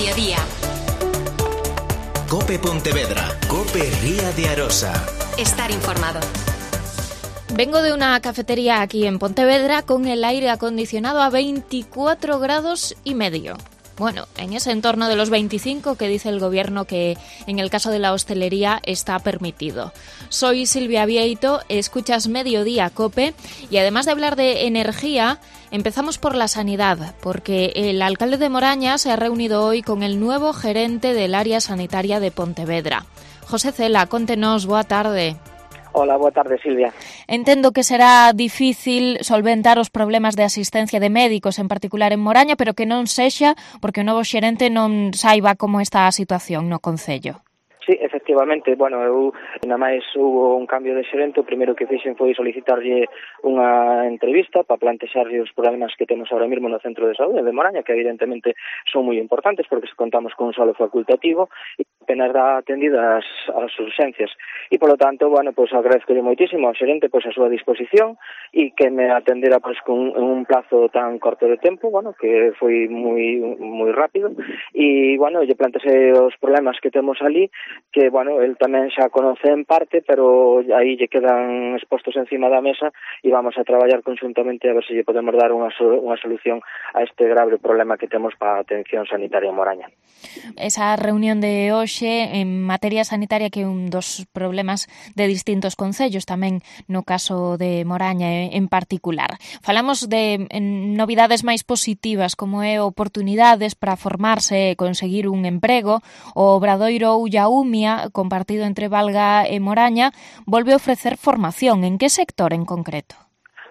mediodía. COPE Pontevedra, COPE Ría de Arosa. Estar informado. Vengo de una cafetería aquí en Pontevedra con el aire acondicionado a 24 grados y medio. Bueno, en ese entorno de los 25 que dice el Gobierno que en el caso de la hostelería está permitido. Soy Silvia Vieito, escuchas Mediodía COPE y además de hablar de energía, empezamos por la sanidad, porque el alcalde de Moraña se ha reunido hoy con el nuevo gerente del área sanitaria de Pontevedra. José Cela, contenos, boa tarde. Hola, boa tarde, Silvia. Entendo que será difícil solventar os problemas de asistencia de médicos, en particular en Moraña, pero que non sexa porque o novo xerente non saiba como está a situación no concello. Sí, efectivamente, bueno, nada máis hubo un cambio de xerente, o primeiro que fixen foi solicitarlle unha entrevista para plantexarlle os problemas que temos ahora mesmo no centro de saúde de Moraña, que evidentemente son moi importantes porque se contamos con un solo facultativo e apenas dá atendidas as urxencias. E, polo tanto, bueno, pois agradezcolle moitísimo ao xerente pois a súa disposición e que me atendera pois con un plazo tan corto de tempo, bueno, que foi moi rápido e, bueno, lle plantexei os problemas que temos ali, que, bueno, el tamén xa conoce en parte, pero aí lle quedan expostos encima da mesa e vamos a traballar conxuntamente a ver se lle podemos dar unha solución a este grave problema que temos para a atención sanitaria en Moraña. Esa reunión de hoxe en materia sanitaria que é un dos problemas de distintos concellos, tamén no caso de Moraña en particular. Falamos de novidades máis positivas, como é oportunidades para formarse e conseguir un emprego. O Obradoiro Ullaumia, compartido entre Valga e Moraña, volve a ofrecer formación. En que sector en concreto?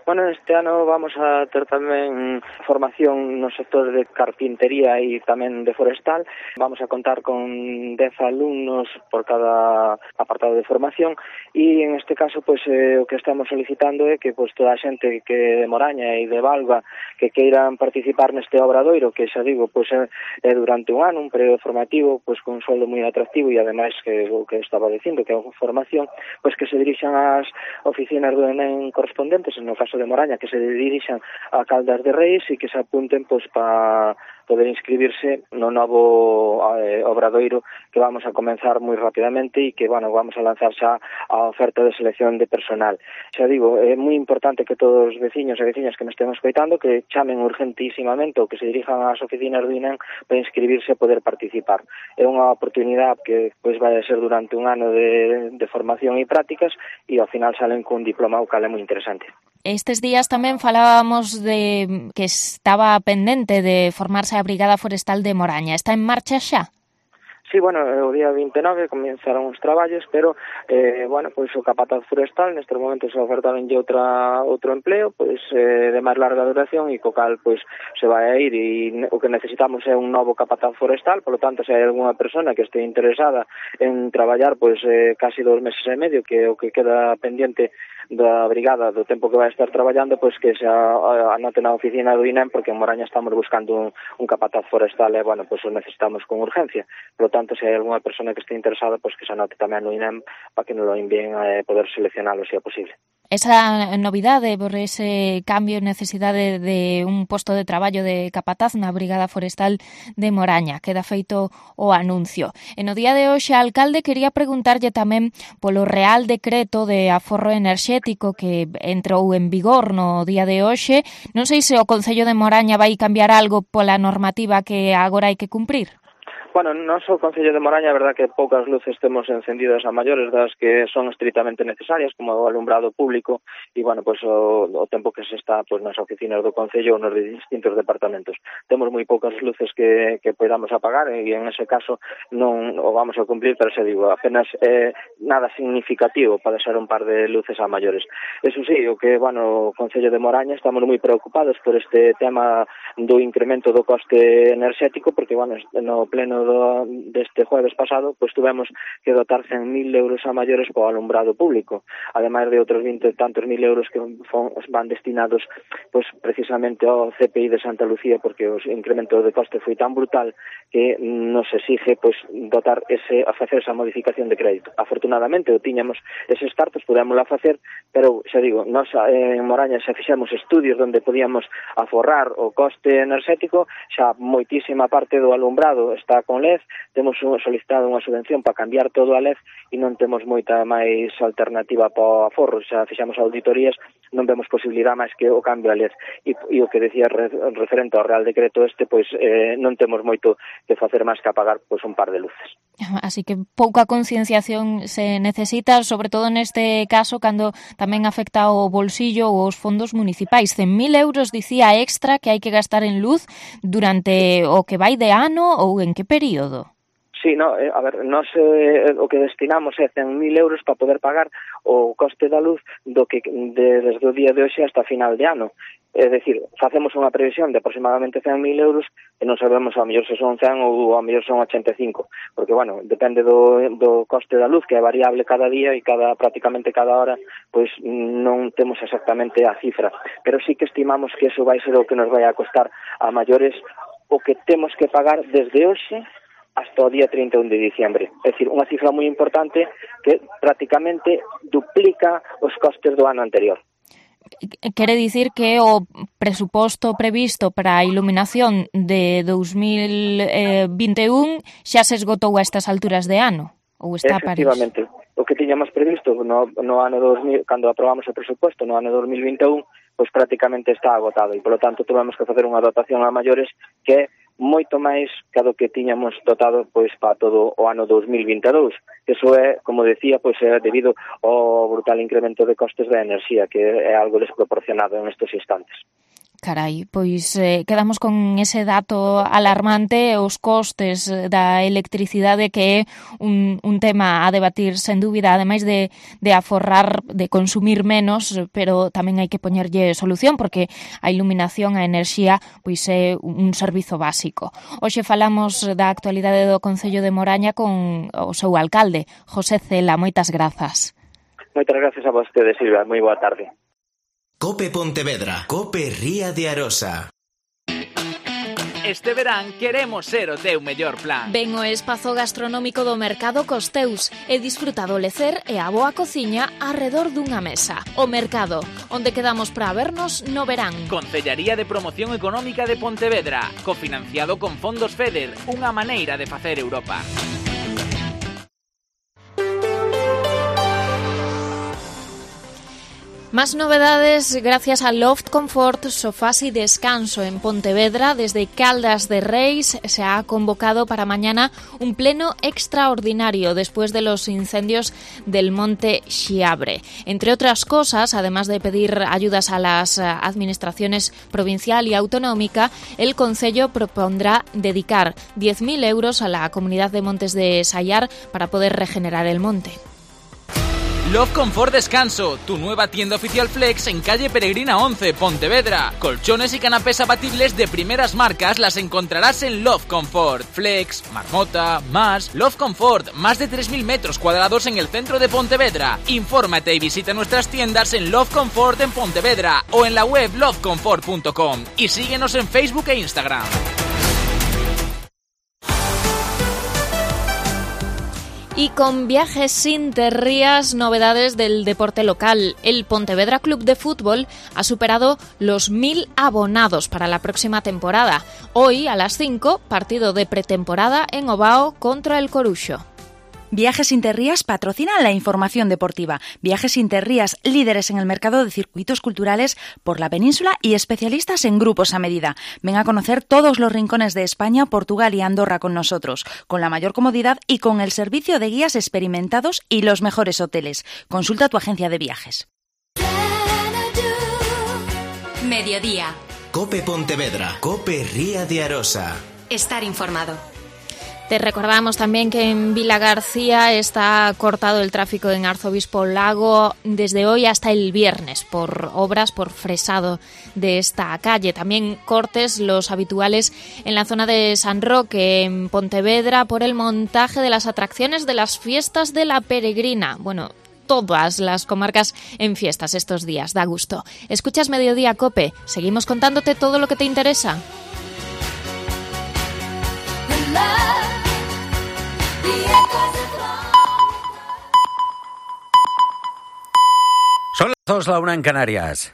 Bueno, este ano vamos a ter tamén formación no sector de carpintería e tamén de forestal. Vamos a contar con 10 alumnos por cada apartado de formación e en este caso pois o que estamos solicitando é que pois toda a xente que de Moraña e de Valga que queiran participar neste obradoiro, que xa digo, pois é durante un ano, un período formativo, pois con un sueldo moi atractivo e ademais que o que estaba dicindo, que é unha formación, pois que se dirixan ás oficinas do ENEM correspondentes, no caso de Moraña, que se dirixan a Caldas de Reis e que se apunten pois para poder inscribirse no novo obradoiro que vamos a comenzar moi rapidamente e que, bueno, vamos a lanzar xa a oferta de selección de personal. Xa digo, é moi importante que todos os veciños e veciñas que me estén escoitando que chamen urgentísimamente ou que se dirijan ás oficinas do INEM para inscribirse e poder participar. É unha oportunidade que pois vai a ser durante un ano de formación e prácticas e ao final salen cun diploma, o cal é moi interesante. Estes días tamén falábamos de que estaba pendente de formarse a Brigada Forestal de Moraña. Está en marcha xa? Sí, bueno, o día 29 comenzaron os traballos, pero, bueno, pois o capataz forestal nestes momentos ofertaronlle outro empleo, pois de máis larga duración e co cal, pois, se vai a ir e o que necesitamos é un novo capataz forestal, polo tanto, se hai algunha persona que este interesada en traballar, pois, casi 2 meses e medio, que é o que queda pendiente da brigada do tempo que vai estar traballando, pois que se anote na oficina do INEM, porque en Moraña estamos buscando un capataz forestal e, bueno, pois o necesitamos con urgencia. Por lo tanto, se hai algunha persona que este interesada, pois que se anote tamén no INEM para que nos lo envíen a poder seleccionalo se é posible. Esa novidade por ese cambio e necesidade de un posto de traballo de capataz na Brigada Forestal de Moraña. Queda feito o anuncio. E no día de hoxe, alcalde, quería preguntarlle tamén polo Real Decreto de Aforro Enerxético que entrou en vigor no día de hoxe. Non sei se o Concello de Moraña vai cambiar algo pola normativa que agora hai que cumprir. Bueno, non só o Concello de Moraña, a verdad que poucas luces temos encendidas a maiores das que son estritamente necesarias, como o alumbrado público, e, bueno, pois o tempo que se está pois nas oficinas do Concello ou nos distintos departamentos. Temos moi poucas luces que podamos apagar e, en ese caso, non o vamos a cumplir, pero, se digo, apenas nada significativo para ser un par de luces a maiores. Eso sí, o que, bueno, o Concello de Moraña estamos moi preocupados por este tema do incremento do coste enerxético, porque, bueno, no pleno pleno deste jueves pasado, pois tuvemos que dotar 100.000 euros a maiores para o alumbrado público, ademais de outros 20 tantos mil euros que van destinados pois precisamente ao CPI de Santa Lucía, porque o incremento de coste foi tan brutal que nos exige pois dotar a facer esa modificación de crédito. Afortunadamente, tiñamos eses cartos, podémosla facer, pero xa digo, nós en Moraña xa fixemos estudios onde podíamos aforrar o coste enerxético, xa moitísima parte do alumbrado está con LED, temos solicitado unha subvención para cambiar todo a LED e non temos moita máis alternativa para o aforro, xa fixamos auditorías, non vemos posibilidade máis que o cambio a LED e o que decía referente ao Real Decreto pois non temos moito que facer máis que apagar pois un par de luces. Así que pouca concienciación se necesita, sobre todo neste caso, cando tamén afecta ao bolsillo ou aos fondos municipais. 100.000 euros, dicía, extra que hai que gastar en luz durante o que vai de ano ou en que período? Sí, no, a ver, nós o que destinamos é 100.000 euros para poder pagar o coste da luz desde o día de hoxe hasta final de ano. É dicir, facemos unha previsión de aproximadamente 100.000 euros e non sabemos ao mellor se son 100 ou ao mellor son 85, porque, bueno, depende do coste da luz, que é variable cada día e prácticamente cada hora, pois non temos exactamente a cifra. Pero sí que estimamos que eso vai ser o que nos vai a costar a maiores o que temos que pagar desde hoxe hasta o día 31 de diciembre. É dicir, unha cifra moi importante que prácticamente duplica os costes do ano anterior. Quere dicir que o presuposto previsto para a iluminación de 2021 xa se esgotou a estas alturas de ano? Ou está a París? Efectivamente. O que tiñamos previsto no ano 2000, cando aprobamos o presuposto no ano 2021, pois prácticamente está agotado e, polo tanto, tuvemos que facer unha dotación a maiores que é moito máis que do que tiñamos dotado pois para todo o ano 2022. Eso é, como decía, pois é debido ao brutal incremento de costes da enerxía, que é algo desproporcionado en estes instantes. Carai, pois quedamos con ese dato alarmante, os costes da electricidade, que é un tema a debatir sen dúbida, ademais de aforrar, de consumir menos, pero tamén hai que poñerlle solución, porque a iluminación, a enerxía, pois é un servizo básico. Hoxe falamos da actualidade do Concello de Moraña con o seu alcalde, José Cela. Moitas grazas. Moitas grazas a vostede, Silvia. Moi boa tarde. Cope Pontevedra. Cope Ría de Arosa. Este verán queremos ser o teu mellor plan. Ven ao espazo gastronómico do Mercado Costeus e disfruta do lecer e a boa cociña arredor dunha mesa. O Mercado, onde quedamos para vernos no verán. Concellaría de Promoción Económica de Pontevedra, cofinanciado con fondos FEDER, unha maneira de facer Europa. Más novedades gracias a Loft Comfort, sofás y descanso en Pontevedra. Desde Caldas de Reis se ha convocado para mañana un pleno extraordinario después de los incendios del Monte Xiabre. Entre otras cosas, además de pedir ayudas a las administraciones provincial y autonómica, el Concello propondrá dedicar 10.000 euros a la comunidad de Montes de Sayar para poder regenerar el monte. Love Comfort Descanso, tu nueva tienda oficial Flex en calle Peregrina 11, Pontevedra. Colchones y canapés abatibles de primeras marcas las encontrarás en Love Comfort. Flex, Marmota, Más, Love Comfort, más de 3.000 metros cuadrados en el centro de Pontevedra. Infórmate y visita nuestras tiendas en Love Comfort en Pontevedra o en la web lovecomfort.com y síguenos en Facebook e Instagram. Y con Viajes sin Te Rías, novedades del deporte local. El Pontevedra Club de Fútbol ha superado los 1.000 abonados para la próxima temporada. Hoy, a las 5, partido de pretemporada en Ovao contra el Coruxo. Viajes sin Te Rías patrocina la información deportiva. Viajes sin Te Rías, líderes en el mercado de circuitos culturales por la península y especialistas en grupos a medida. Ven a conocer todos los rincones de España, Portugal y Andorra con nosotros, con la mayor comodidad y con el servicio de guías experimentados y los mejores hoteles. Consulta tu agencia de viajes. Mediodía. Cope Pontevedra. Cope Ría de Arosa. Estar informado. Te recordamos también que en Vila García está cortado el tráfico en Arzobispo Lago desde hoy hasta el viernes por obras, por fresado de esta calle. También cortes los habituales en la zona de San Roque, en Pontevedra, por el montaje de las atracciones de las fiestas de la Peregrina. Bueno, todas las comarcas en fiestas estos días, da gusto. Escuchas Mediodía Cope, seguimos contándote todo lo que te interesa. Son las 2, la 1 en Canarias.